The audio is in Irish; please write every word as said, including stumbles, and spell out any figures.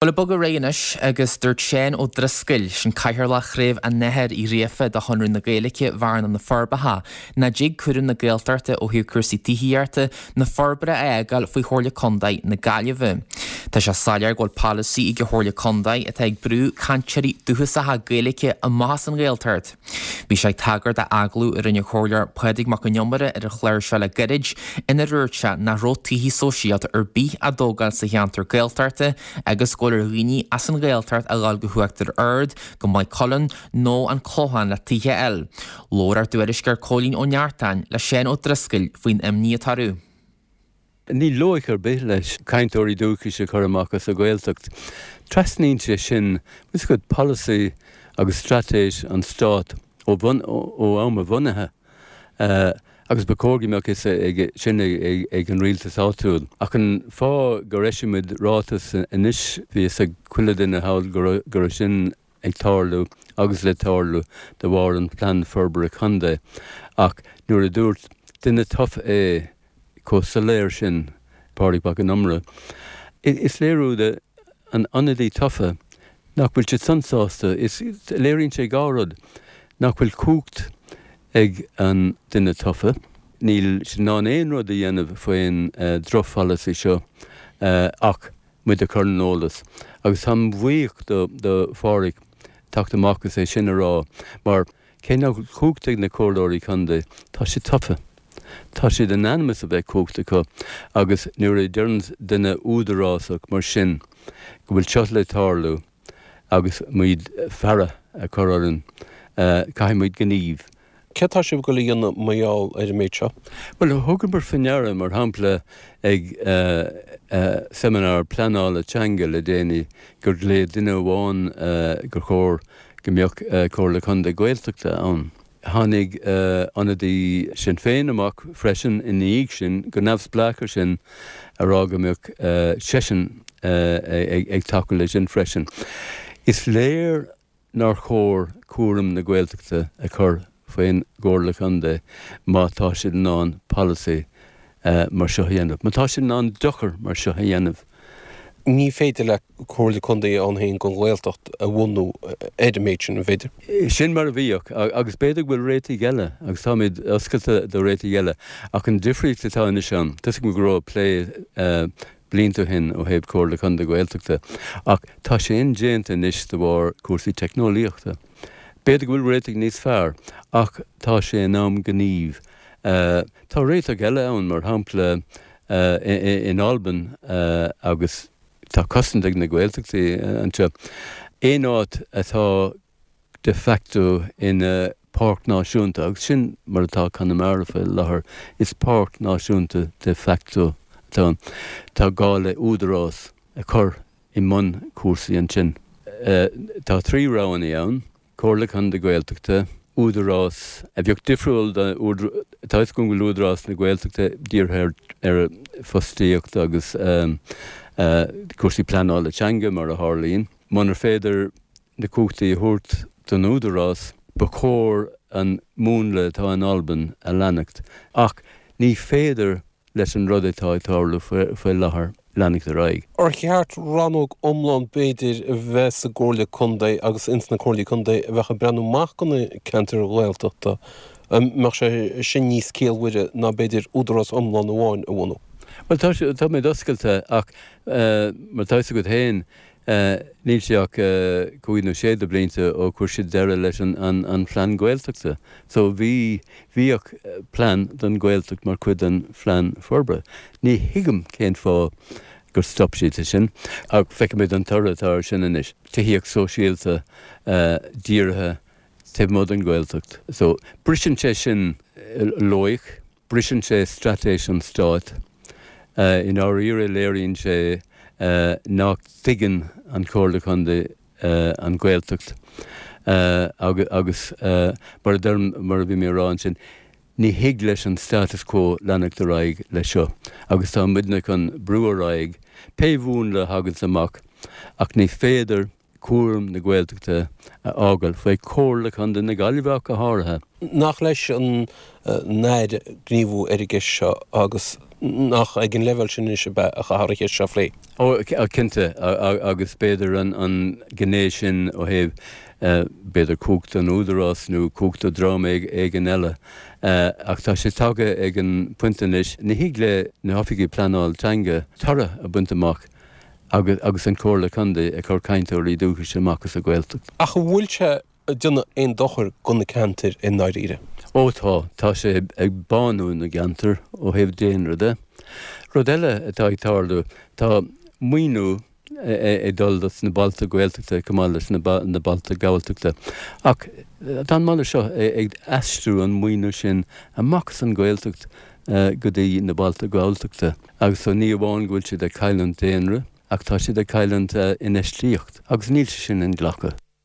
Bhuel, ag bogadh ar aghaidh anois agus dúirt Seán Ó Drisceoil, sin Cathaoirleach Chraobh an Airthir Uí Ghríofa de Chonradh na Gaeilge Bhearna na Forbacha, nach dtig cúram na Gaeltachta ó thaobh cúrsaí tithíochta ná forbartha a fhágáil faoi Chomhairle Contae na Gaillimhe. Tá sé soiléir go bhfuil polasaí ag an Chomhairle Contae atá ag brú cainteoirí dúchasacha Gaeilge amach as an Ghaeltacht. Bhí sé ag tagairt d'agallamh a rinne an Comhairleoir Pádraig Mac Con Iomaire ar an chlár seo le gairid inar dhúirt sé nach raibh tithe sóisialta ar bith á dtógáil sa cheantar Gaeltachta agus go bhfuil ar dhaoine as an Ghaeltacht a ghabháil go hUachtar Ard, go Maigh Cuilinn nó an Clochán le tithe a fháil. Labhair ár dtuairisceoir Cóilín Ó Neachtain le Seán Ó Drisceoil faoin imní atá orthu. Níl loighic ar bith leis cainteoirí dúchais a chur amach as an Ghaeltacht. Trasnaíonn sé sin is go polasaí agus straitéis an stát ó bhun ó am a bhunaithe. Uh, agus ba chóir go mbeadh fhios sin ag an rialtas áitiúil. Ach an fáth gur eisigh ráiteas anois bhí a fhios ag chuile duine thall go raibh sin ag tarlú agus le tarlú de bharr an plean forbartha contae. Ach nuair a dúirt duine tofa é chomh soiléir sin Pádraig Mac Con Iomaire. Is léiriú de an ionadaí tofa nach bhfuil siad san sásta is léiríonn sé dhá rud nach bhfuil cumhacht ag an duine tofa. Níl sé in ann aon rud a dhéanamh faoin uh, drochpholasaí seo uh, ach muid a chur ar an eolas. Agus táim buíoch do, do Phádraig teacht amach agus é sin a rá, mar cé nach cumhacht ag na comhairleoirí contae tá siad tofa. Tá siad in ainm is a bheith cumhacht acu agus nuair a deireann duine údarásach mar sin go bhfuil seo le tarlú agus muid faire a chur orainn uh, caithfidh muid gníomh. Cé tá sibh ag goil a dhéanamh mar gheall ar an méid seo? Well thugamar faoi deara mar shampla ag uh, uh, seimineár pleanála teanga le déanaí gur léigh duine amháin uh, gur chóir go mbeadh uh, Comhairle Contae Gaeltachta ann. Tháinig uh, ionadaí Sinn Féin amach freisin ina dhiaidh sin go neamhspleách sin a rá go mbeadh uh, seisean uh, ag, ag tacú leis sin freisin. Is léir nár chóir cúram na Gaeltachta a chur faoin gComhairle Contae má tá siad in ann polasaí uh, mar seo a dhéanamh. Má tá siad in ann dochar mar seo a dhéanamh. Ní féidir le Comhairle Contae ann féin don Ghaeltacht a bhunú ar an méid sin an féidir. Sin mar a bhíodh agus b'fhéidir bhfuil réitigh eile agus táimid oscailte do réitigh eile ach an difríocht atá anois ann, Tá go raibh plé uh, blianta ó shin ó thaobh Comhairle Contae Gaeltachta ach tá sé indéanta anois de bharr cúrsaí teicneolaíochta. B'fhéidir go bhfuil réitigh níos fearr ach tá sé in am gníomh. Uh, tá réiteach eile ann mar shampla uh, in Albain uh, agus tá cosaint ag na Gaeltachtaí anseo. Aon áit atá de facto ina páirc náisiúnta agus sin mar atá Conamara faoi láthair is páirc náisiúnta de facto atá tá gá le údarás a chur i mbun cúrsaí ansin. Uh, tá trí roghanna ann, Comhairle Contae Gaeltachta, údarás a bheadh difriúil tá go bhfuil údarás na Gaeltachta dírithe ar fostaíocht agus um, uh, cúrsaí pleanála teanga mar a tharlaíonn. Munar féidir na cumhachtaí a thabhairt don údarás ba chóir an múnla atá in Albain a leanacht. Ach ní féidir leis an rud atá ag tarlú faoi láthair leanacht ar aghaidh. Ar cheart rannóg iomlán b'fhéidir a bheith sa gComhairle Contae agus ins na Comhairlí Contae a bheith ag breathnú amach do na ceantair Ghaeltachta mbeadh sé sin níos ciallmhaire ná b'fhéidir údarás iomlán amháin a bhunú. Well tá tá mé oscailte ach uh, mar tá go héin uh, níl sé ach uh, cúig nó sé de blianta ó chuir siad deireadh leis an, an, an phlean Gaeltachta. So bhí bhíodh plean don Ghaeltacht mar chuid den phlean forbartha. Ní thuigim cén fáth gur stop siad sin ach feicimid an toradh atá sin anois. Tithíocht sóisialta uh, dírithe taobh amuigh den Ghaeltacht. So briseann sé sin loighic, briseann sé straitéis an stáit. Uh, in áirithe léiríonn sé uh, nach dtuigeann an Chomhairle Contae uh, an Ghaeltacht uh, agus, agus uh, mar a mar a bhí mé ag rá ansin ní thig leis an status quo leanacht ar aghaidh leis seo, agus tá muidne chun brú ar aghaidh, pé mhúnla a thagann amach ach ní féidir cúram na Gaeltachta a fhágáil faoi Chomhairle Contae na Gaillimhe go háirithe. Nach leis an Aire gníomhú ar an gceist seo agus Nach ag an leibhéal sin anois ab ea a chaithfear an cheist seo a phlé? Ó, cinnte, agus b'fhéidir an ghné sin ó thaobh b'fhéidir cumhacht an Údarás nó cumhacht do dhream éigin eile. Ach tá sé tagtha ag an bpointe anois, ní thig le na hoifigigh pleanáil teanga toradh a bhaint amach agus an Chomhairle Contae ag cur cainteoirí dúchais amach as an Ghaeltacht. Ach an bhfuil sé ag déanamh aon dochar do na ceantair i ndáiríre? Ó tá, tá sé ag bánú na gceantar ó thaobh daonra de. Rud eile atá ag tarlú, tá maoiniú ag dul dos na bailte Gaeltachta chomh maith leis na bailte Galltachta. Ach tá an moladh seo ag aistriú an maoiniú sin amach as an Ghaeltacht go dtí na bailte Galltachta. Agus so ní amháin go bhfuil siad ag cailliúint daonra ach tá siad ag cailliúint infheistíocht agus níl sé sin inghlactha.